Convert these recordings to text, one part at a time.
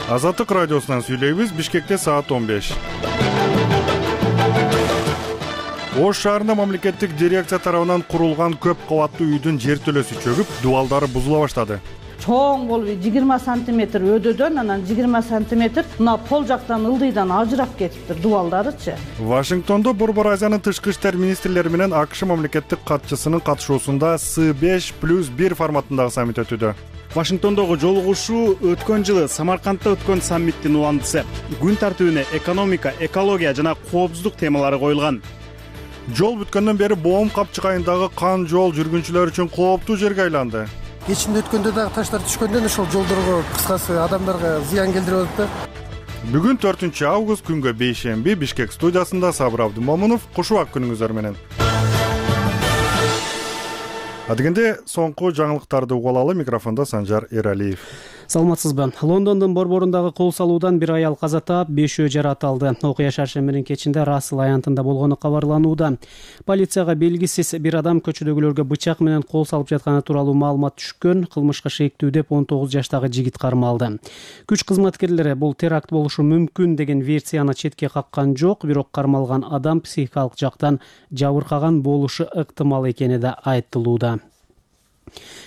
Азаттык радиосунан сүйлөйбүз. Бишкекте саат 15. Ош шаарында мамлекеттик дирекция тарабынан курулган көп кабаттуу үйдүн жертөлөсү чөгүп, дубалдары бузула баштады. Чоң болуп 20 сантиметр өдөөдөн анан 20 сантиметр мына пол жактан ылдыйдан ажырап кетиптир дубалдарычы. Вашингтондо Борбор Азиянын тышкы иштер министрлери менен АКШ мамлекеттик катчысынын катышуусунда С5+1 форматындагы саммит өтүүдө. Вашингтондогу жолугушуу өткөн жылы Самаркандда өткөн саммиттин уландысы. Күн тартибине экономика, экология жана коопсуздук темалары коюлган. Жол бүткөндөн бери Боом капчыгайындагы кан жол жүргүнчүлөр үчүн кооптуу жерге айланды. Кечинде өткөндө дагы таштар түшкөндөн ошол жолдорго кыскасы адамдарга зыян келдирип атат да. Бүгүн 4 август күнгө бейшемби Бишкек студиясында Сабыр Абдымомунов. Кушубак күнүңүздөр менен. Адегенде соңку жаңылыктарды угуп алалы. Микрофондо Санжар Эралиев. Саламатсызбы? Лондондун борборундагы кол салуудан бир аял каза таап, 5 жарат алды. Окуя шаршембинин кечинде Рассел аянтында болгону кабарланууда. Полицияга белгисиз бир адам көчөдөгүлөргө бычак менен кол салып жатканы тууралуу маалымат түшкөн. Кылмышка шектүү деп 19 жаштагы жигит кармалды. Күч кызматкерлери бул теракт болушу мүмкүн деген версияны четке каккан жок, бирок кармалган адам психикалык жактан жабыркаган болушу ыктымал экени да айтылууда.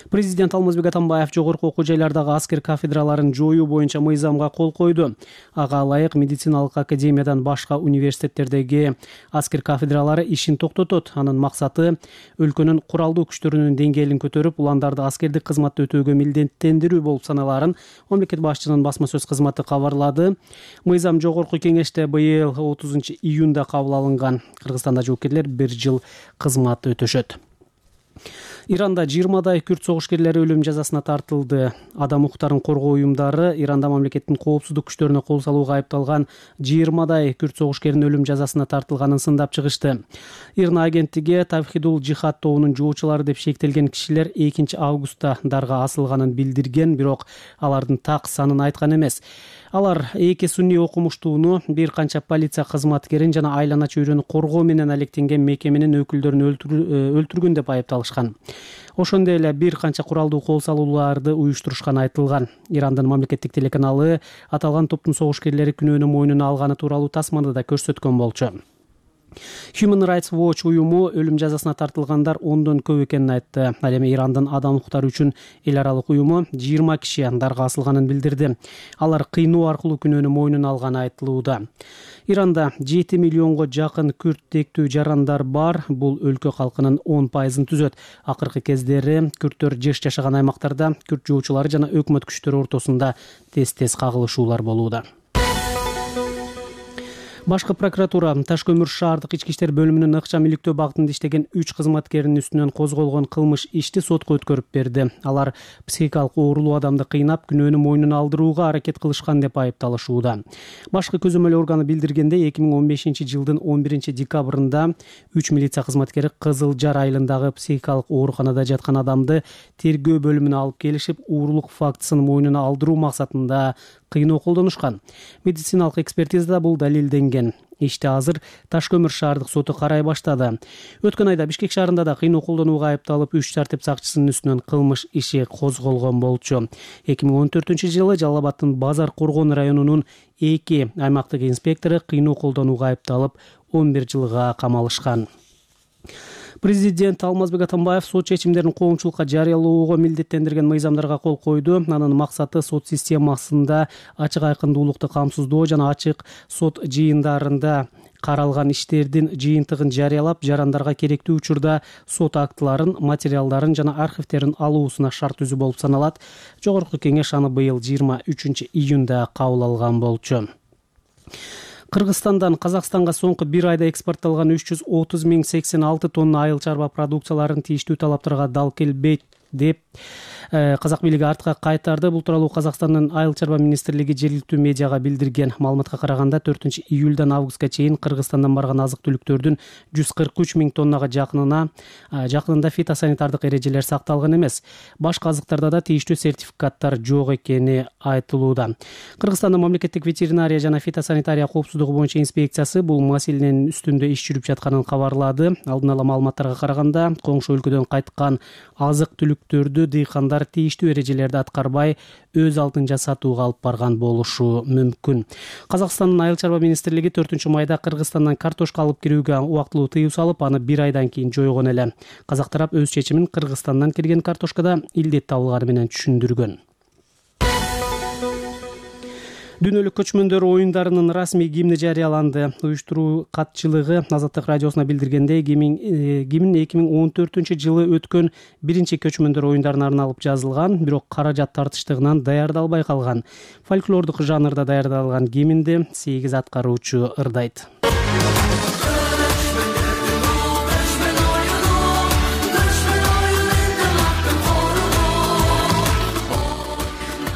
Президент Алмазбек Атамбаев жогорку окуу жайлардагы аскер кафедраларын жоюу боюнча мыйзамга кол койду. Ага ылайык медициналык академиядан башка университеттердеги аскер кафедралары ишин токтотот. Анын максаты өлкөнүн куралдуу күчтөрүнүн деңгээлин көтөрүп, уландарды аскердик кызматты өтөөгө милдеттендирүү болуп саналарын мамлекет башчынын басма сөз кызматы кабарлады. Мыйзам жогорку кеңеште быйыл 30 июнда кабыл алынган. Кыргызстанда жоокерлер 1 жыл кызмат өтөшөт. Иранда 20дай күрд согушкерлери өлүм жазасына тартылды. Адам укуктарын коргоо уюмдары Иранда мамлекеттин коопсуздук күчтөрүнө кол салууга айыпталган 20дай күрд согушкеринин өлүм жазасына тартылганын сындап чыгышты. Ирна агенттиги Тавхидул Жихад тобунун жоочулары деп шектелген кишилер 2 августта дарга асылганын билдирген, бирок алардын так санын айткан эмес. Алар эки сунний окумуштууну, бир канча полиция кызматкерин жана айлана чөйрөнү коргоо менен алектенген мекеменин өкүлдөрүн өлтүргөн деп айыпталышкан. Ошондой эле бир канча куралдуу кол салууларды уюштурушканы айтылган. Ирандын мамлекеттик телеканалы аталган топтун согушкерлери күнөөнү мойнуна алганы тууралуу тасманы да көрсөткөн болчу. Human Rights Watch уюму өлүм жазасына тартылгандар 10дон көп экенин айтты. Ал эми Ирандын адам укуктары үчүн эл аралык уюму 20 киши дарга асылганын билдирди. Алар кыйноо аркылуу күнөөнү мойнуна алганы айтылууда. Иранда 7 миллионго жакын күрд тектүү жарандар бар. Бул өлкө калкынын 10%-ын түзөт. Акыркы кездери күрдтөр жеш жашаган аймактарда күрд жоочулары жана өкмөт күчтөрү ортосунда тез кагылышуулар болууда. Башкы прокуратура Таш-Көмүр шаардык ички иштер бөлүмүнүн ыкчам иликтөө багытында иштеген 3 кызматкеринин үстүнөн козголгон кылмыш ишти сотко өткөрүп берди. Алар психикалык оорулуу адамды кыйнап, күнөөнү мойнуна алдырууга аракет кылышкан деп айыпталышууда. Башкы көзөмөл органы билдиргенде 2015 жылдын 11 декабрында 3 милиция кызматкери Кызыл Жар айылындагы психикалык ооруканада жаткан адамды тергөө бөлүмүнө алып келишип, уурулук фактысын мойнуна алдыруу максатында кыйноо колдонушкан. Медициналык экспертизада бул далилденген. Ишти азыр Таш-Көмүр шаардык соту карай баштады. Өткөн айда Бишкек шаарында да кыйноо колдонууга айыпталып 3 тартип сакчысынын үстүнөн кылмыш иши козголгон болчу. 2014 жылы Жалал Абадтын Базар Коргон районунун 2 аймактык инспектору кыйноо колдонууга айыпталып 11 жылга камалышкан. Президент Алмазбек Атамбаев сот чечимдерин коомчулукка жарыялоого милдеттендирген мыйзамдарга кол койду. Анын максаты сот системасында ачык айкындуулукту камсыздоо жана ачык сот жыйындарында каралган иштердин жыйынтыгын жарыялап, жарандарга керектүү учурда сот актыларын, материалдарын жана архивтерин алуусуна шарт түзүү болуп саналат. Жогорку кеңеш аны быйыл 23 июнда кабыл алган болчу. Кыргызстандан Казакстанга соңку бир айда экспортталган 330,086 тонна айыл чарба продукцияларын тийиштүү талаптарга дал келбейт деп Казак бийлиги артка кайтарды. Бул тууралуу Казакстандын айыл чарба министрлиги жергиликтүү медиага билдирген. Маалыматка караганда 4 июлдан августка чейин Кыргызстандан барган азык-түлүктөрдүн 143 миң тоннага жакынында фитосанитардык эрежелер сакталган эмес. Башка азыктарда да тийиштүү сертификаттар жок экени айтылууда. Кыргызстандын мамлекеттик ветеринария жана фитосанитария коопсуздугу боюнча инспекциясы бул маселенин үстүндө иш жүрүп жатканын кабарлады. Алдын ала маалыматтарга караганда, коңшу өлкөдөн кайткан азык-түлүктөрдү дыйкандар алар тийиштүү эрежелерди аткарбай өз алдынча сатууга алып барган болушу мүмкүн. Казакстандын Айыл чарба министрлиги 4-майда Кыргызстандан картошка алып кирүүгө убактылуу тыюу салып, аны 1 айдан кийин жойгон эле. Казак тарап өз чечимин Кыргызстандан кирген картошкада илдет табылганы менен түшүндүргөн. Дүйнөлүк көчмөндөр оюндарынын расмий гимни жарыяланды. Уюштуруу катчылыгы Азаттык радиосуна билдиргендей, гимн 2014-жылы өткөн биринчи көчмөндөр оюндарына арналып жазылган, бирок каражат тартыштыгынан даярдалбай калган. Фольклордук жанрда даярдалган гимнди 8 аткаруучу ырдайт.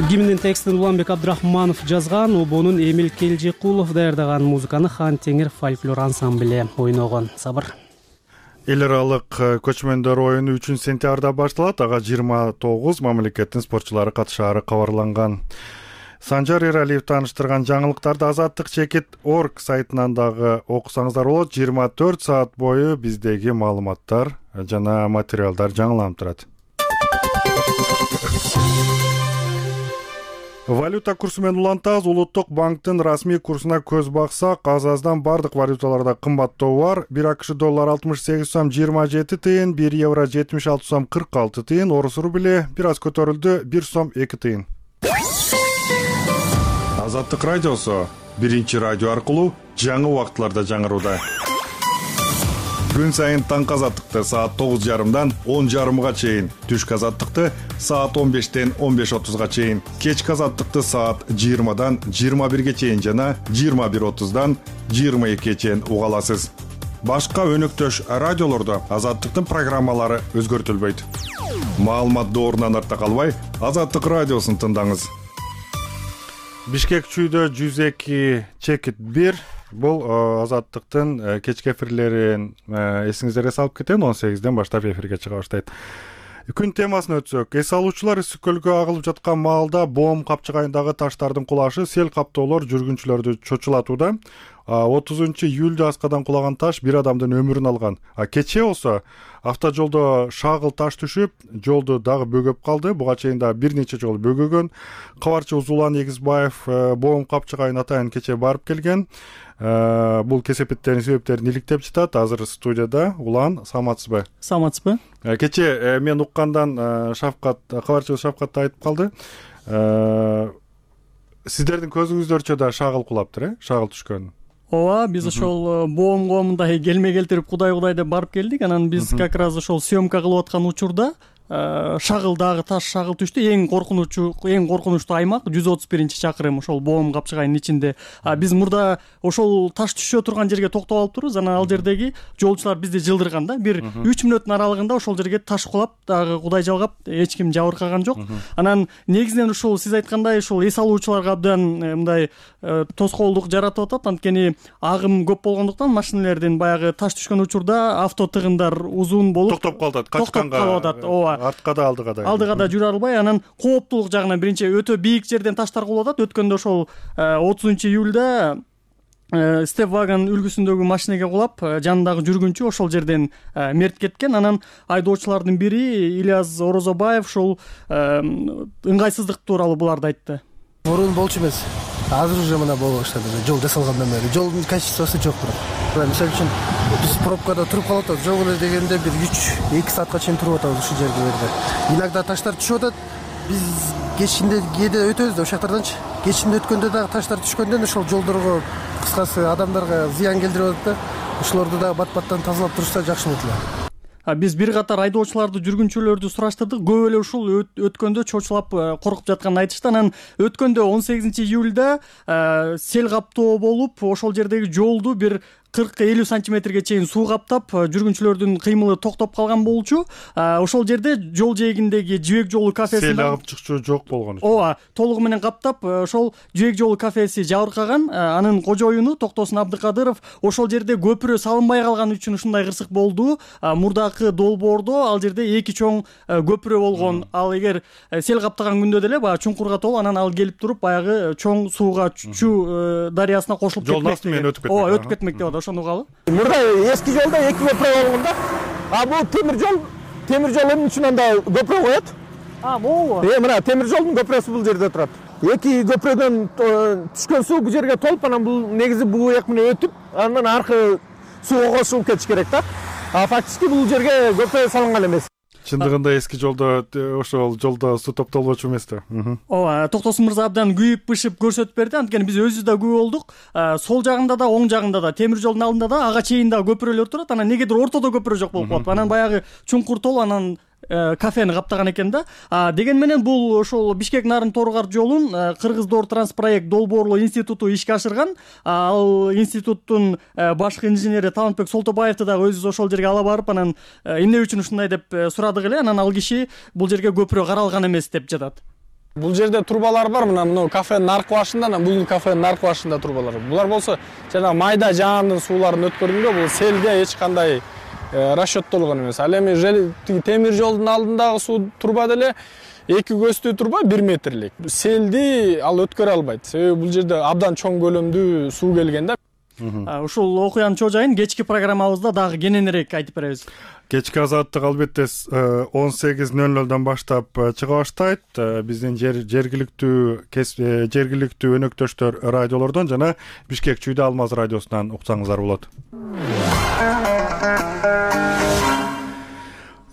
Гимндин текстин Уланбек Абдрахманов жазган, обонун Эмил Келжекулов даярдаган, музыканы Хан Теңир фольклор ансамбле ойногон. Сабыр. Эл аралык көчмөндөр оюну 3-сентябрда башталат. Ага 29 мамлекеттин спортчулары катышаары кабарланган. Санжар Эралиев тааныштырган жаңылыктарды азаттык-чекит.org сайтынан дагы окусаңыздар болот. 24 саат бою биздеги маалыматтар жана материалдар жаңыланып турат. Валюта курсу менен улантабыз. Улуттук банктын расмий курсуна көз баксак, азаздан бардык валюталарда кымбаттоо бар. 1 АКШ доллар 68 сом 27 тыйын, 1 евро 76 сом 46 тыйын, орус рубли бир аз көтөрүлдү, 1 сом 2 тыйын. Азаттык радиосу биринчи радио аркылуу жаңы убактыларда жаңырууда. Күн сайын таңкы азаттыкты саат 9:30дан 10:30га чейин, түшкү азаттыкты саат 15-тен 15:30га чейин, кечки азаттыкты саат 20-дан 21-ге чейин жана 21:30дан 22-ге чейин уга аласыз. Башка өнөктөш радиолордо азаттыктын программалары өзгөртүлбөйт. Маалымат доорунан арта калбай, Азаттык радиосун тыңдаңыз. Бишкек чүйдө 102.1 бул азаттыктын кечки эфирлерин эсиңиздерге салып кетейин. 18ден баштап эфирге чыга баштайт. Күн темасына өтсөк, эс алуучулар Ысык көлгө агылып жаткан маалда Боом капчыгайындагы таштардын кулашы сел каптоолор жүргүнчүлөрдү чочулатууда. 30-июлда аскадан кулаган таш бир адамдын өмүрүн алган. Кечээ болсо автожолдо шагыл таш түшүп, жолду дагы бөгөп калды. Буга чейин да бир нече жолу бөгөгөн. Кабарчы Узулан Эгизбаев Боом капчыгайын атайын кечээ барып келген. Бул кесепеттердин себептерин иликтеп жатат. Азыр студияда Улан, саламатсызбы? Саламатсызбы? Кечээ мен уккандан Шавкат, кабарчы Шавкат айтып калды. Сиздердин көзүңүздөрчө да шагыл кулаптыр, шагыл түшкөн. Ооба, биз ошол Боомго мындай келме келтирип кудай деп барып келдик. Анан биз как раз ошол съемка кылып аткан учурда шагылдагы таш шагыл түштү. Эң коркунучтуу аймак 131-чакырым ошол Боом капчыгайынын ичинде. Биз мурда ошол таш түшө турган жерге токтоп алып турбуз. Анан ал жердеги жолчулар бизди жылдырган да. Бир 3 мүнөттүн аралыгында ошол жерге таш кулап, дагы кудай жалгап, эч ким жабыркаган жок. Анан негизинен ушул сиз айткандай ушул эс алуучуларга абдан мындай тоскоолдук жаратып атат. Анткени агым көп болгондуктан машиналердин баягы таш түшкөн учурда авто тыгындар узун болуп токтоп калат, качканга. Ооба. Артка да, алдыга да жүрө албай, анан кооптулук жагынан биринчи өтө бийик жерден таштар кулуп атат. Өткөндө ошол 30-июлда Степвагон үлгүсүндөгү машинеге кулап, жанындагы жүргүнчү ошол жерден мерт кеткен. Анан айдоочулардын бири Ильяс Орозобаев ошол ыңгайсыздык тууралуу буларды айтты. Мурун болчу эмес. Азыр уже мына боло баштады. Жол жасалгандан бери жолдун качествосу жок турат. Мисалы үчүн биз пробкада туруп калып атабыз. Жок эле дегенде бир 3-2 саатка чейин туруп атабыз ушул жерде. Иногда таштар түшүп атат. Биз кечинде кээде өтөбүз да ошол жактарданчы. Кечинде өткөндө дагы таштар түшкөндөн ошол жолдорго, кыскасы адамдарга зыян келтирип атат да. Ошолорду дагы бат-баттан тазалап турушса жакшы болот эле. Биз бир катар айдоочуларды, жүргүнчүлөрдү сураштырдык. Көп эле ушул өткөндө чочулап коркуп жатканын айтышты. Анан өткөндө 18-июлда сел каптоо болуп, ошол жердеги жолду бир 40-50 сантиметрге чейин суу каптап, жүргүнчүлөрдүн кыймылы токтоп калган болчу. Ошол жерде жол жээгиндеги Жибек жолу кафеси сел агып чыкчу жок болгон. Ооба, толугу менен каптап, ошол Жибек жолу кафеси жабыркаган. Анын кожоюну Токтосун Абдыкадыров ошол жерде көпүрө салынбай калган үчүн ушундай кырсык болду. Мурдакы долбоордо ал жерде 2 чоң көпүрө болгон. Ал эгер сел каптаган күндө деле баягы чуңкурга толуп, анан ал келип туруп баягы чоң сууга Чү дарыясына кошулуп кетмек. Ооба, өтүп кетмек деп атат. Ошону угалы. Мурда эски жолдо 2 көпүрө болгон да. Бул темир жол эмне үчүн анда көпүрө коет? Могу. Мына темир жолдун көпүрөсү бул жерде турат. Эки көпүрөдөн түшкөн суу бул жерге толуп, анан бул негизи бул жак менен өтүп, андан аркы сууга кошулуп кетиш керек да. Фактически бул жерге көпүрө салынган эмес. Чындыгында эски жолдо ошол жолдо суу топтолбочу эмес да. Ооба, Токтосун мырза абдан күйүп бышып көрсөтүп берди. Анткени биз өзүбүз да күбө болдук. Сол жагында да, оң жагында да, темир жолдун алдында да ага чейин да көпүрөлөр турат. Анан негедир ортодо көпүрө жок болуп калат. Анан баягы чуңкур тол анан кафени каптаган экен да. Деген менен бул ошол Бишкек-Нарын Торгар жолун Кыргыз Доор Транспроект долбоорлоо институту ишке ашырган. Ал институттун башкы инженери Талантбек Солтобаевди дагы өзүбүз ошол жерге ала барып, анан эмне үчүн ушундай деп сурадык эле. Анан ал киши бул жерге көпүрө каралган эмес деп жатат. Бул жерде турбалар бар, мына кафенин аркы башында, анан бул кафенин аркы башында турбалар. Булар болсо жана майда жаандын сууларын өткөргөнгө бул селге эч кандай расчеттолгон эмес. Ал эми темир жолдун алдындагы суу турба деле 2 көзтүү турба 1 метрлик. Селди ал өткөрө албайт. Себеби бул жерде абдан чоң көлөмдүү суу келген да. Ушул окуянын чоо жайын кечки программабызда дагы кененирээк айтып беребиз. Кечки азаттык албетте 18:00 баштап чыга баштайт. Биздин жергиликтүү өнөктөштөр радиолордон жана Бишкек Чүйдө Алмаз радиосунан уксаңыздар болот.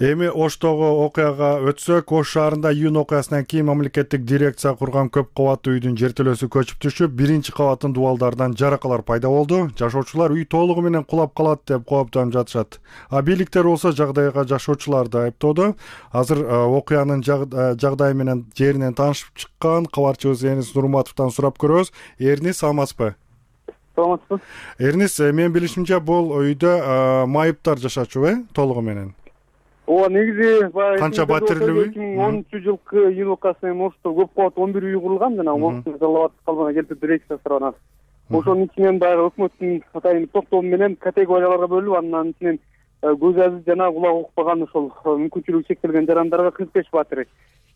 Эми Оштогу окуяга өтсөк, Ош шаарында июнь окуясынан кийин мамлекеттик дирекция курган көп кабаттуу үйдүн жертөлөсү көчүп түшүп, биринчи кабаттын дубалдарынан жаракалар пайда болду. Жашоочулар үй толугу менен кулап калат деп кооптонуп жатышат. Бийликтер болсо жагдайга жашоочуларды айыптоодо. Азыр окуянын жагдайы менен жеринен таанышып чыккан кабарчыбыз Эрнис Нурматовдон сурап көрөбүз. Эрнис, саламатсызбы? Саламатсызбы. Эрнис, менин билишимче бул үйдө майыптар жашачу, толугу менен? Ооба, негизи баягы канча батирлүү? 2013-жылкы июнь окуясынан Ошто көп кабаттуу 11 үй курулган жана Оштун Жалал калбана келтирип дирекция тарабынан. Ошонун ичинен баягы өкмөттүн атайын токтому менен категорияларга бөлүп, анын ичинен көз азиз жана кулак укпаган ошол мүмкүнчүлүгү чектелген жарандарга 45 батир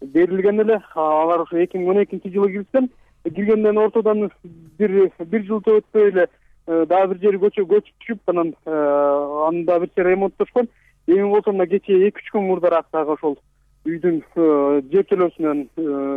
берилген эле. Алар ошо 2012-жылы киришкен. Киргенден ортодон бир жылда өтпөй эле дагы бир жери көчүп түшүп, анан анда бир ремонттошкон. Эми болсо мына кечээ 2-3 күн мурдараак дагы ошол үйдүн жертөлөсүнөн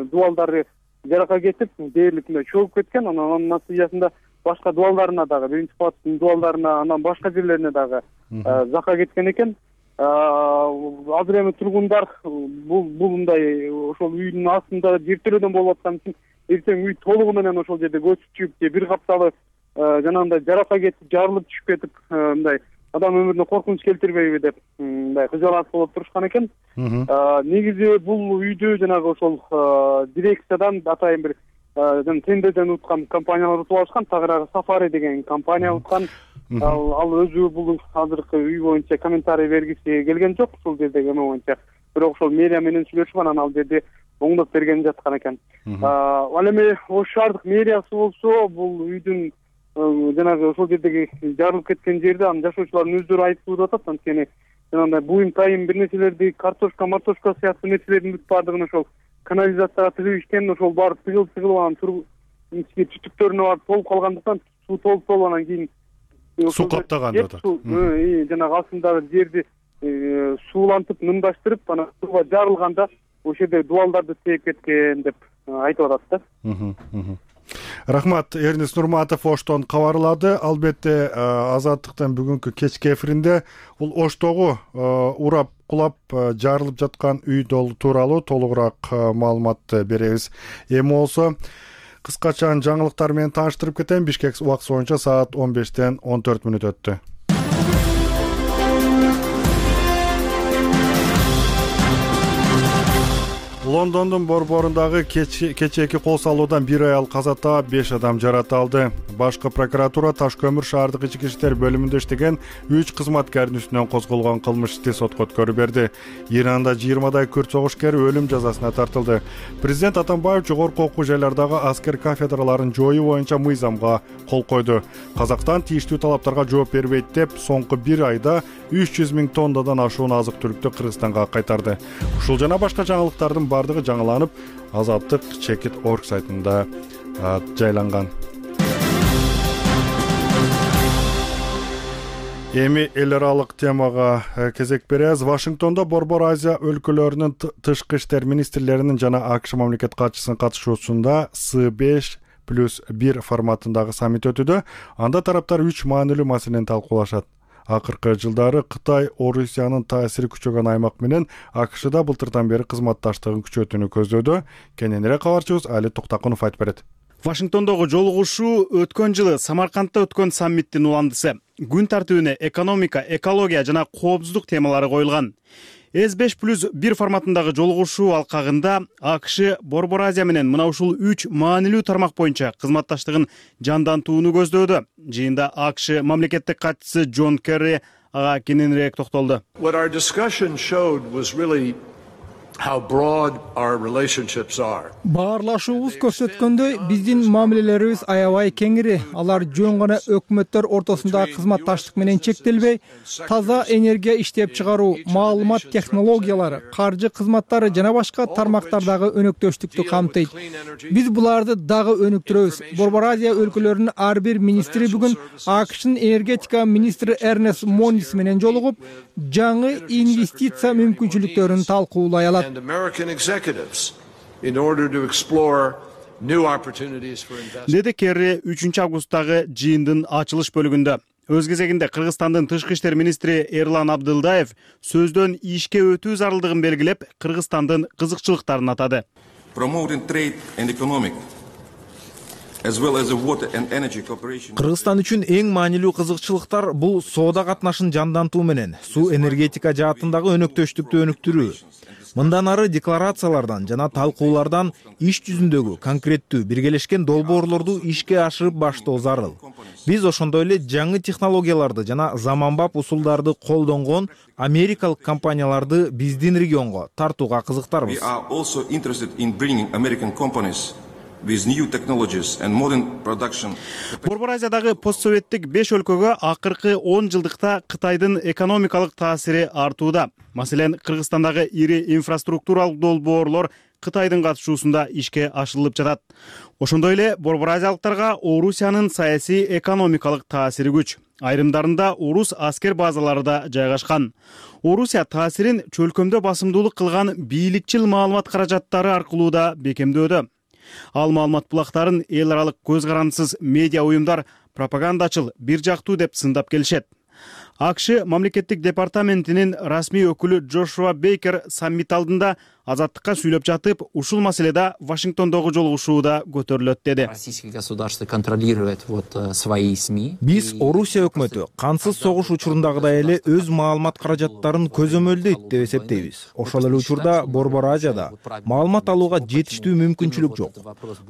дубалдары жарака кетип, дээрлик чөгүп кеткен. Анын натыйжасында башка дубалдарына дагы, биринчи кабаттын дубалдарына, анан башка жерлерине дагы зака кеткен экен. Азыр эми тургундар бул мындай ошол үйдүн астында жертөлөдөн болуп аткан үчүн эртең үй толугу менен ошол жерде көчүп чыгып, же бир капталы жанагындай жарака кетип, жарылып түшүп кетип, мындай адам өмүрүнө коркунуч келтирбейби деп мындай кыжалат болуп турушкан экен. Негизи бул үйдү жанагы ошол дирекциядан атайын бир тендерден уткан компаниялар утуп алышкан. Тагыраагы Сафари деген компания уткан. Ал өзү бул азыркы үй боюнча комментарий бергиси келген жок ушул жердеги эме боюнча. Бирок ошол мэрия менен сүйлөшүп, анан ал жерде оңдоп берген жаткан экен. Ал эми Ош шаардык мэриясы болсо бул үйдүн жанагы ошол жердеги жарылып кеткен жерде анын жашоочулардын өздөрү айыптоодо атат. Анткени жанагындай буюм тайым бир нерселерди, картошка сыяктуу нерселердин бүт баардыгын ошол канализацияга тыгып ишкен. Ошол барып тыгылып анан ички түтүктөрүнө барып толуп калгандыктан суу толуп анан кийин суу каптаган деп атат. Жанагы астындагы жерди суулантып, нымдаштырып, анан сууга жарылганда ошол жерде дубалдарды тээп кеткен деп айтып атат да. Рахмат, Эрнис Нурматов Оштон кабарлады. Албетте Азаттыктын бүгүнкү кечки эфиринде бул Оштогу урап кулап жарылып жаткан үй тууралуу толугураак маалымат беребиз. Эми болсо кыскача жаңылыктар менен тааныштырып кетем. Бишкек убакыты боюнча саат 15:14 өттү. Лондондун борборундагы кечээки кол салуудан бир аял каза таап, 5 адам жаракат алды. Башкы прокуратура Таш көмүр шаардык ички иштер бөлүмүндө иштеген 3 кызматкардын үстүнөн козголгон кылмыш ишти сотко өткөрүп берди. Иранда 20дай күрт согушкер өлүм жазасына тартылды. Президент Атамбаев жогорку окуу жайлардагы аскер кафедраларын жоюу боюнча мыйзамга кол койду. Казакстан тийиштүү талаптарга жооп бербейт деп, соңку 1 айда 300 000 тоннадан ашуун азык-түлүктү Кыргызстанга кайтарды. Ушул жана башка жаңылыктардын бардыгы жаңыланып, Азаттык Chekit.org сайтында жайланган. Эми эл аралык темага кезек беребиз. Вашингтондо Борбор Азия өлкөлөрүнүн тышкы иштер министрлеринин жана АКШ мамлекет катчысынын катышуусунда С5+1 форматындагы саммит өтүүдө. Анда тараптар 3 маанилүү маселени талкуулашат. Акыркы жылдары Кытай Орусиянын таасири күчөгөн аймак менен АКШда былтырдан бери кызматташтыгын күчөтүүнү көздөөдө. Кененирээк кабарчыбыз Али Токтакунов айтып берет. Вашингтондогу жолугушуу өткөн жылы Самаркандта өткөн саммиттин уландысы. Күн тартибине экономика, экология жана коопсуздук темалары коюлган. С5+1 форматындагы жолугушуу алкагында АКШ Борбор Азия менен мына ушул 3 маанилүү тармак боюнча кызматташтыгын жандантууну көздөөдө. Жыйында АКШ мамлекеттик катчысы Джон Керри ага кененирээк токтолду. Баарлашуубуз көрсөткөндөй, биздин мамилелерибиз аябай кеңири. Алар жөн гана өкмөттөр ортосундагы кызматташтык менен чектелбей, таза энергия иштеп чыгаруу, маалымат технологиялары, каржы кызматтары жана башка тармактардагы өнөктөштүктү камтыйт. Биз буларды дагы өнүктүрөбүз. Борбор Азия өлкөлөрүнүн ар бир министри бүгүн АКШнын энергетика министри Эрнест Монис менен жолугуп, жаңы инвестиция мүмкүнчүлүктөрүн талкуулай алат. Деди Керри 3 августтагы жыйындын ачылыш бөлүгүндө. Өз кезегинде Кыргызстандын тышкы иштер министри Эрлан Абдылдаев сөздөн ишке өтүү зарылдыгын белгилеп, Кыргызстандын кызыкчылыктарын атады. Кыргызстан үчүн эң маанилүү кызыкчылыктар бул соода катнашын жандантуу менен суу энергетика жаатындагы өнөктөштүктү өнүктүрүү. Мындан ары декларациялардан жана талкуулардан иш жүзүндөгү конкреттүү биргелешкен долбоорлорду ишке ашырып баштоо зарыл. Биз ошондой эле жаңы технологияларды жана заманбап усулдарды колдонгон америкалык компанияларды биздин регионго тартууга кызыктарбыз. Борбор Азиядагы постсоветтик 5 өлкөгө акыркы 10 жылдыкта Кытайдын экономикалык таасири артууда. Маселен, Кыргызстандагы ири инфраструктуралык долбоорлор Кытайдын катышуусунда ишке ашырылып жатат. Ошондой эле Борбор Азиялыктарга Орусиянын саясий экономикалык таасири күч. Айрымдарында орус аскер базалары да жайгашкан. Орусия таасирин чөлкөмдө басымдуулук кылган бийликчил маалымат каражаттары аркылуу да бекемдөөдө. Ал маалымат булактарын эл аралык көз карандысыз медиа уюмдар пропагандачыл, бир жактуу деп сындап келишет. АКШ мамлекеттик департаментинин расмий өкүлү Джошуа Бейкер саммит алдында азаттыкка сүйлөп жатып, ушул маселеде Вашингтондогу жолугушууда көтөрүлөт деди. Биз Орусия өкмөтү кансыз согуш учурундагыдай эле өз маалымат каражаттарын көзөмөлдөйт деп эсептейбиз. Ошол эле учурда Борбор Азияда маалымат алууга жетиштүү мүмкүнчүлүк жок.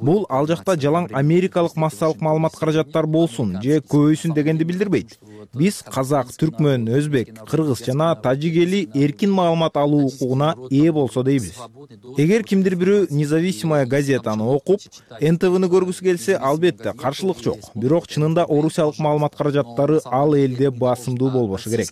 Бул ал жакта жалаң америкалык массалык маалымат каражаттар болсун же көбөйсүн дегенди билдирбейт. Биз казак, түркмөн, өзбек, кыргыз жана тажик эли эркин маалымат алуу укугуна ээ болсо дейбиз. Эгер кимдир бирөө независимая газетаны окуп, НТВны көргүсү келсе, албетте каршылык жок. Бирок чынында орусиялык маалымат каражаттары ал элде басымдуу болбошу керек.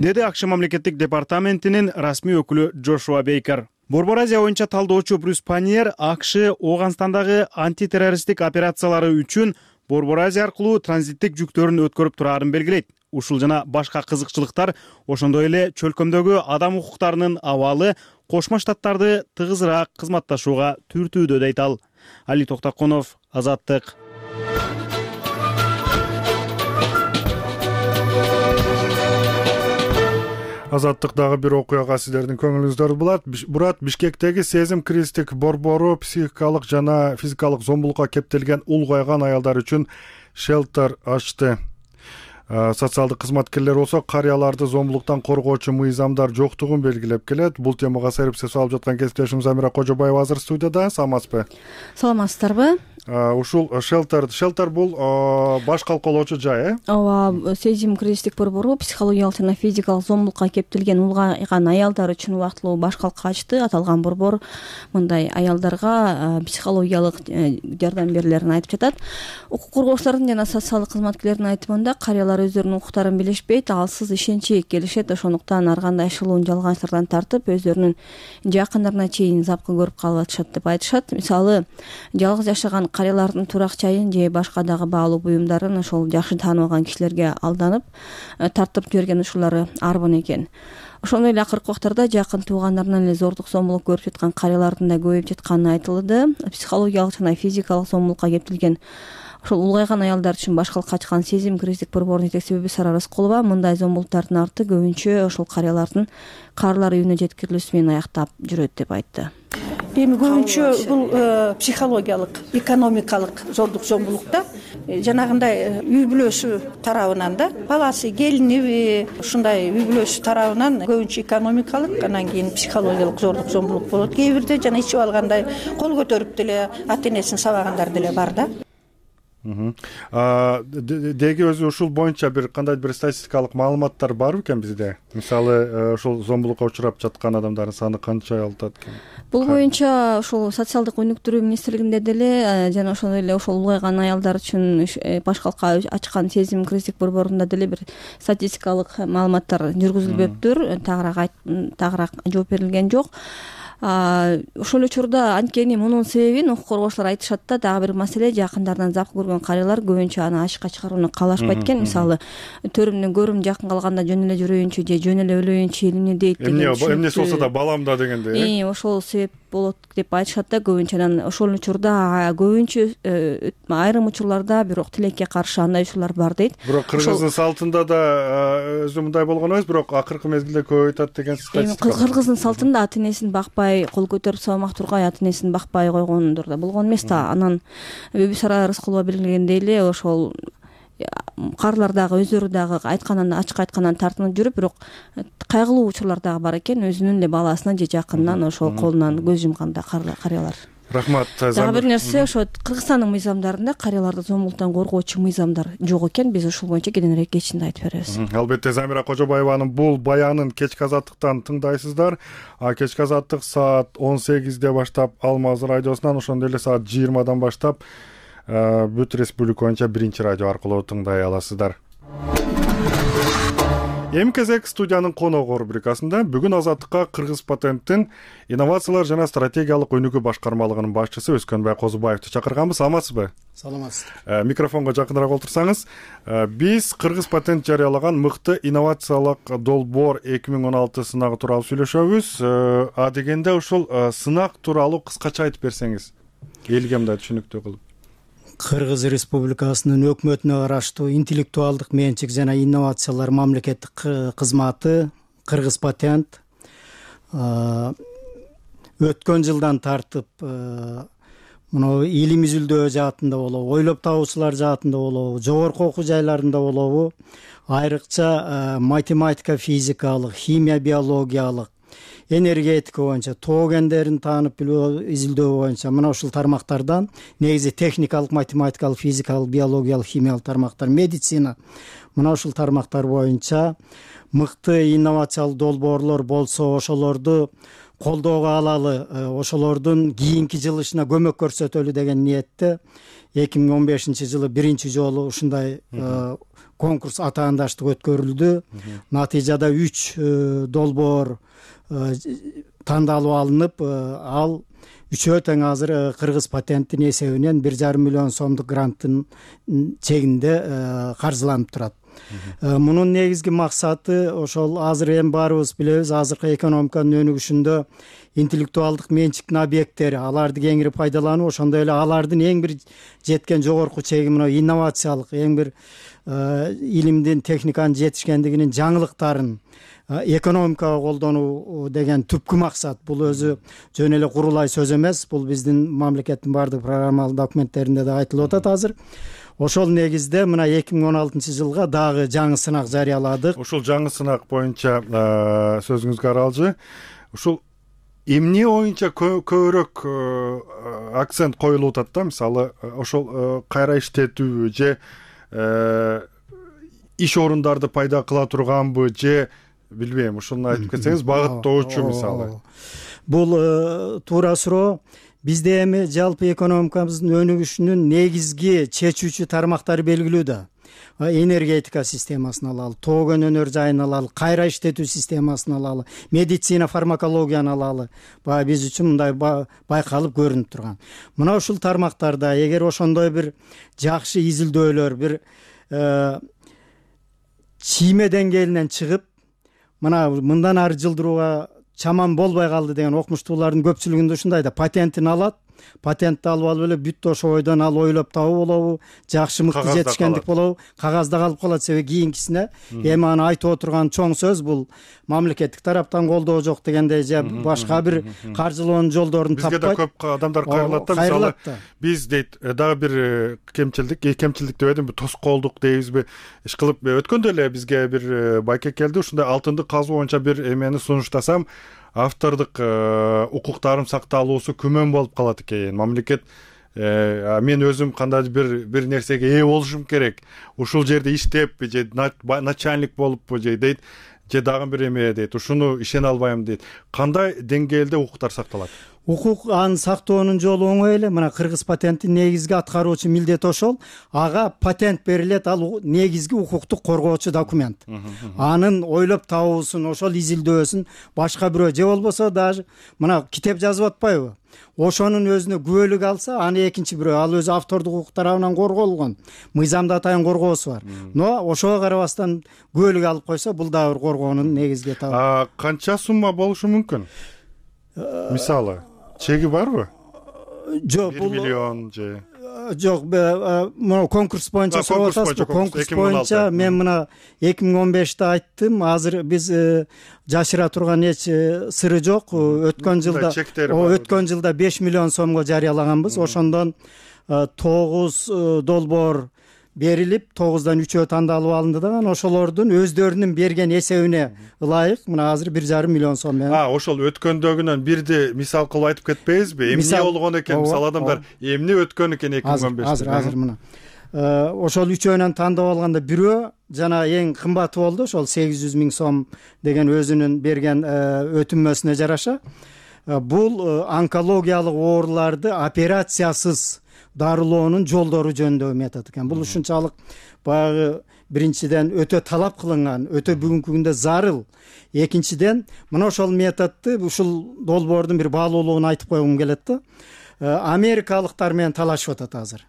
Деди АКШ мамлекеттик департаментинин расмий өкүлү Джошуа Бейкер. Борбор Азия боюнча талдоочу Брюс Паньер АКШ Ооганстандагы антитеррористтик операциялары үчүн Борбор Азия аркылуу транзиттик жүктөрүн өткөрүп турарын белгилейт. Ушул жана башка кызыкчылыктар ошондой эле чөлкөмдөгү адам укуктарынын абалы Кошмо Штаттарды тыгызыраак кызматташууга түртүүдө дейт ал. Али Токтакунов, Азаттык. Азаттыктагы бир окуяга сиздердин көңүлүңүздөрдү бурат. Бишкектеги сезим кризистик борбору психикалык жана физикалык зомбулукка кептелген улгайган аялдар үчүн шелтер ачты. Социалдык кызматкерлер болсо карыяларды зомбулуктан коргоочу мыйзамдар жоктугун белгилеп келет. Бул темага серепсиз алып жаткан кесиптешим Замира Кожобаева азыр студияда. Саламатсызбы? Саламатсыздарбы? Ушул шелтер бул баш калкалоочу жай, Ооба, сезим кризистик борбору психологиялык жана физикалык зомбулукка кептелген улгайган аялдар үчүн убактылуу баш калка ачты. Аталган борбор мындай аялдарга психологиялык жардам берүүлөрүн айтып жатат. Укук коргоочулардын жана социалдык кызматкерлердин айтымында карыялар алар өздөрүнүн укуктарын билишпейт, алсыз ишенчи келишет. Ошондуктан ар кандай ишылуун жалганчтардан тартып өздөрүнүн жакындарына чейин запкы көрүп калып атышат деп айтышат. Мисалы, жалгыз жашаган карыялардын турак жайын же башка дагы баалуу буюмдарын ошол жакшы тааныбаган кишилерге алданып тартып жиберген ушулар арбын экен. Ошондой эле акыркы убактарда жакын туугандарынан эле зордук зомбулук көрүп жаткан карыялардын да көбөйүп жатканы айтылды. Психологиялык жана физикалык зомбулукка кептелген ошол улгайган аялдар үчүн баш калкка ачкан сезим кризистик борборунун жетекчиси Бүбүсара Рыскулова мындай зомбулуктардын арты көбүнчө ошол карыялардын каарылар үйүнө жеткирилүүсү менен аяктап жүрөт деп айтты. Эми көбүнчө бул психологиялык, экономикалык зордук зомбулукта жанагындай үй бүлөсү тарабынан да, баласы, келиниби, ушундай үй бүлөсү тарабынан көбүнчө экономикалык, анан кийин психологиялык зордук зомбулук болот. Кээ бирде жана ичип алгандай кол көтөрүп деле ата энесин сабагандар деле бар да. Деги өзү ушул боюнча бир кандайдыр бир статистикалык маалыматтар бар бекен бизде? Мисалы, ушул зомбулукка учурап жаткан адамдардын саны канча атат экен? Бул боюнча ошол социалдык өнүктүрүү министрлигинде деле жана ошондой эле ошол улгайган аялдар үчүн баш калкка ачкан сезим кризистик борборунда деле бир статистикалык маалыматтар жүргүзүлбөптүр. Тагыраак жооп берилген жок. Ошол учурда анткени мунун себебин укук коргоочулар айтышат да, дагы бир маселе, жакындарынан запкы көргөн карыялар көбүнчө аны ачыкка чыгарууну каалашпайт экен. Мисалы, төрүмдөн көрүм жакын калганда жөн эле жүрөйүнчү же жөн эле өлөйүнчү эмне дейт деген. Эмнеси болсо да балам да дегендей. Ошол себеп болот деп айтышат да көбүнчө. Анан ошол учурда көбүнчө айрым учурларда бирок тилекке каршы андай учурлар бар дейт. Бирок кыргыздын салтында да өзү мындай болгон эмес, бирок акыркы мезгилде көп айтат деген статистика. Кыргыздын салтында ата энесин бакпай, кол көтөрүп сабамак тургай ата энесин бакпай койгондор да болгон эмес да. Анан Бүбүсара Рыскулова белгилегендей эле ошол карылар дагы өздөрү дагы айтканын ачык айткандан тартынып жүрүп, бирок кайгылуу учурлар дагы бар экен. Өзүнүн эле баласынан же жакынынан ошол колунан көз жумганда карыялар. Рахмат. Дагы бир нерсе, ошо Кыргызстандын мыйзамдарында карыяларды зомбулуктан коргоочу мыйзамдар жок экен. Биз ушул боюнча кийинирээк кечинде айтып беребиз. Албетте, Замира Кожобаеванын бул баянын кечки азаттыктан тыңдайсыздар. Кечки азаттык саат 18де баштап Алмаз радиосунан, ошондой эле саат 20дан баштап бүт республика боюнча биринчи радио аркылуу тыңдай аласыздар. Эми кезек студиянын коногу рубрикасында бүгүн Азаттыкка Кыргыз патенттин инновациялар жана стратегиялык өнүгүү башкармалыгынын башчысы Өскөнбай Козубаевди чакырганбыз. Саламатсызбы? Саламатсыздар. Микрофонго жакыныраак отурсаңыз. Биз Кыргыз патент жарыялаган мыкты инновациялык долбоор 2016 сынагы тууралуу сүйлөшөбүз. Дегенде ушул сынак тууралуу кыскача айтып берсеңиз, элге мындай түшүнүктүү кылып. Кыргыз Республикасынын өкмөтүнө караштуу интеллектуалдык менчик жана инновациялар мамлекеттик кызматы Кыргыз патент өткөн жылдан тартып мына илим изилдөө жаатында болобу, ойлоп табуучулар жаатында болобу, жогорку окуу жайларында болобу, айрыкча математика, физикалык, химия, биологиялык, энергетика боюнча, тоо кендерин таанып билүү, изилдөө боюнча мына ушул тармактардан негизи техникалык, математикалык, физикалык, биологиялык, химиялык тармактар, медицина мына ушул тармактар боюнча мыкты инновациялык долбоорлор болсо, ошолорду колдоого алалы, ошолордун кийинки жылышына көмөк көрсөтөлү деген ниетте 2015 жылы биринчи жолу ушундай конкурс атаандаштык өткөрүлдү. Натыйжада 3 долбоор тандалып алынып, ал үчөө тең азыр Кыргыз патенттин эсебинен 1,5 миллион сомдук гранттын чегинде каржыланып турат. Мунун негизги максаты ошол азыр эми баарыбыз билебиз, азыркы экономиканын өнүгүшүндө интеллектуалдык менчиктин объекттери, аларды кеңири пайдалануу, ошондой эле алардын эң бир жеткен жогорку чеги мына инновациялык, эң бир илимдин, техниканын жетишкендигинин жаңылыктарын экономикага колдонуу деген түпкү максат. Бул өзү жөн эле курулай сөз эмес, бул биздин мамлекеттин бардык программалык документтеринде да айтылып атат азыр. Ошол негизде мына 2016 жылга дагы жаңы сынак жарыяладык. Ушул жаңы сынак боюнча сөзүңүзгө аралжы. Ушул эмне боюнча көбүрөөк акцент коюлуп атат да? Мисалы, ошол кайра иштетүүбү же иш орундарды пайда кыла турганбы же билбейм, ушуну айтып кетсеңиз, багыттоочу мисалы. Бул туура суроо. Бизде эми жалпы экономикабыздын өнүгүшүнүн негизги чечүүчү тармактары белгилүү да. энергетика системасын алалы, тоо кен өнөр жайын алалы, кайра иштетүү системасын алалы, медицина фармакологияны алалы, баягы биз үчүн мындай байкалып көрүнүп турган. Мына ушул тармактарда эгер ошондой бир жакшы изилдөөлөр, бир чийме деңгээлинен чыгып, мындан ары жылдырууга чаман болбой калды деген окумуштуулардын көпчүлүгүндө ушундай да, патентин алат, патентти алып алып эле бүт ошо ойдон ал ойлоп табуу болобу, жакшы мыкты жетишкендик болобу, кагазда калып калат. Себеби кийинкисине эми аны айтып отурган чоң сөз бул мамлекеттик тараптан колдоо жок дегендей же башка бир каржылоонун жолдорун таппайт. Бизге да көп адамдар кайрылат да, мисалы биз дейт дагы бир кемчилдик деп едим, тоскоолдук дейбизби, иш кылып өткөндө эле бизге бир байке келди, ушундай алтынды казуу боюнча бир эмени сунуштасам, автордук укуктарым сакталуусу күмөн болуп калат экен. Мамлекет мен өзүм кандайдыр бир нерсеге ээ болушум керек, ушул жерде иштеп же начальник болуппу же дейт, же дагы бир эме дейт, ушуну ишене албайм дейт. Кандай деңгээлде укуктар сакталат? Укук аны сактоонун жолу оңой эле. Мына кыргыз патенттин негизги аткаруучу милдети ошол. Ага патент берилет, ал негизги укуктук коргоочу документ. Анын ойлоп табуусун, ошол изилдөөсүн башка бирөө же болбосо даже мына китеп жазып атпайбы? Ошонун өзүнө күбөлүк алса, аны экинчи бирөө, ал өзү автордук укук тарабынан корголгон, мыйзамда атайын коргоосу бар. Но ошого карабастан күбөлүк алып койсо, бул дагы бир коргоонун негизги этабы. Канча сумма болушу мүмкүн? Мисалы чеги барбы? Жок, 1 миллион же жок, мына конкурс боюнча сурап атасызбы? Конкурс боюнча мен мына 2015-те айттым. Азыр биз жашыра турган эч сыры жок. Өткөн жылда 5 миллион сомго жарыялаганбыз. Ошондон 9 долбоор берилип, 9дан 3-өө тандалып алынды да, ошолордун өздөрүнүн берген эсебине ылайык мына азыр 1,5 миллион сом менен. Ошол өткөндөгүнөн бирди мисал кылып айтып кетпейсизби? Эмне болгон экен? Мисалы адамдар эмне өткөн экен 2015-те? Азыр мына ошол 3-өөнөн тандап алганда бирөө жана эң кымбаты болду, ошол 800 000 сом деген өзүнүн берген өтүнмөсүнө жараша. Бул онкологиялык ооруларды операциясыз дарылоонун жолдору жөнүндө метод экен. Бул ушунчалык баягы биринчиден өтө талап кылынган, өтө бүгүнкү күндө зарыл. Экинчиден мына ошол методду, ушул долбоордун бир баалуулугун айтып койгум келет да. Америкалыктар менен талашып атат азыр.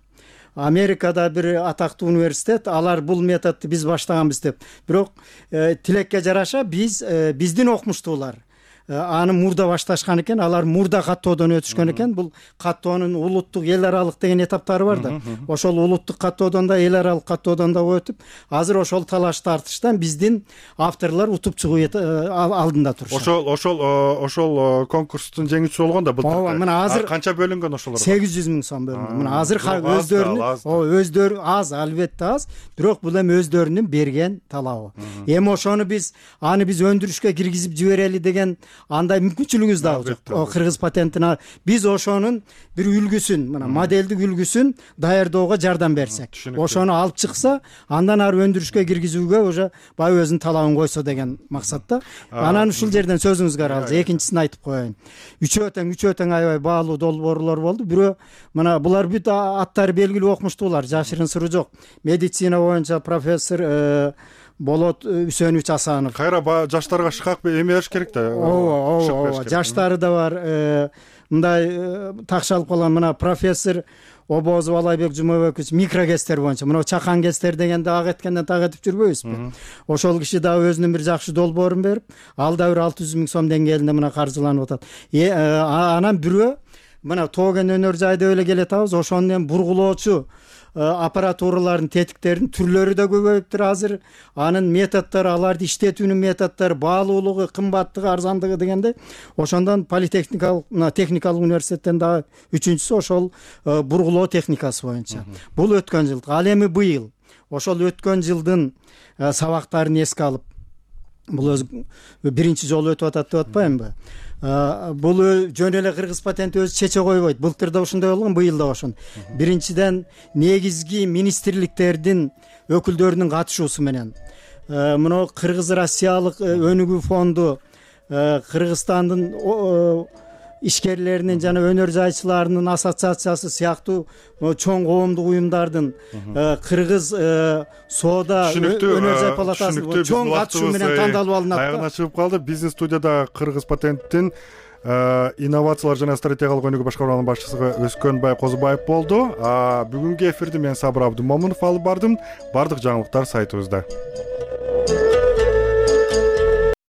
Америкада бир атактуу университет, алар бул методду биз баштаганбыз деп. Бирок тилекке жараша биздин окумуштуулар аны мурда башташкан экен, алар мурда каттоодон өтүшкөн экен. Бул каттоонун улуттук, эл аралык деген этаптары бар да. Ошол улуттук каттоодон да, эл аралык каттоодон да өтүп, азыр ошол талаш тартыштан биздин авторлор утуп чыгуу алдында турушат. Ошол конкурстун жеңүүчүсү болгон да былтыр. Мына азыр канча бөлүнгөн ошолорго? 800 000 сом бөлүнгөн. Мына азыр өздөрү аз, албетте аз, бирок бул эми өздөрүнүн берген талабы. Эми ошону биз өндүрүшкө киргизип жиберели деген андай мүмкүнчүлүгүбүз дагы жок. Кыргыз патентине биз ошонун бир үлгүсүн, мына модельдик үлгүсүн даярдоого жардам берсек, ошону алып чыкса, андан ары өндүрүшкө киргизүүгө уже баягы өзүнүн талабын койсо деген максатта. Анан ушул жерден сөзүңүзгө аралжы экинчисин айтып коеюн. Үчөө тең аябай баалуу долбоорлор болду. Бирөө мына булар бүт аттары белгилүү окумуштуулар, жашырын сыры жок. Медицина боюнча профессор Болот Үсөнович Асанов. Кайра жаштарга шыкак эме бериш керек да. Ооба, жаштары да бар. Мындай такшалып калган мына профессор Обозов Алайбек Жумабекович микрогестер боюнча, мына чакан гестер дегенде ак эткенден так этип жүрбөйбүзбү? Ошол киши дагы өзүнүн бир жакшы долбоорун берип, ал да бир 600 000 сом деңгээлинде мына каржыланып атат. Анан бирөө мына тоо кен өнөр жайды эле келет атабыз, ошону эми бургулоочу аппаратуралардын тетиктеринин түрлөрү да көбөйүптүр азыр. Анын методдору, аларды иштетүүнүн методдору, баалуулугу, кымбаттыгы, арзандыгы дегенде, ошондон техникалык университеттен дагы үчүнчүсү ошол бургулоо техникасы боюнча. Бул өткөн жыл. Ал эми быйыл ошол өткөн жылдын сабактарын эске алып, бул өзү биринчи жолу өтүп атат деп атпаймынбы? Бул жөн эле кыргыз патенти өзү чече койбойт. Былтыр да ушундай болгон, быйыл да ошон. Биринчиден негизги министрликтердин өкүлдөрүнүн катышуусу менен мына Кыргыз Россиялык өнүгүү фонду, Кыргызстандын ишкерлеринин жана өнөр жайчыларынын ассоциациясы сыяктуу чоң коомдук уюмдардын кыргыз соода өнөр жай палатасы чоң катышуу менен тандалып алынат. Аягына чыгып калды. Бизнес студияда Кыргыз патенттин инновациялар жана стратегиялык өнүгүү башкармалыгынын башчысы Өскөнбай Козубаев болду. Бүгүнкү эфирди мен Сабыр Абдымомунов алып бардым. Бардык жаңылыктар сайтыбызда.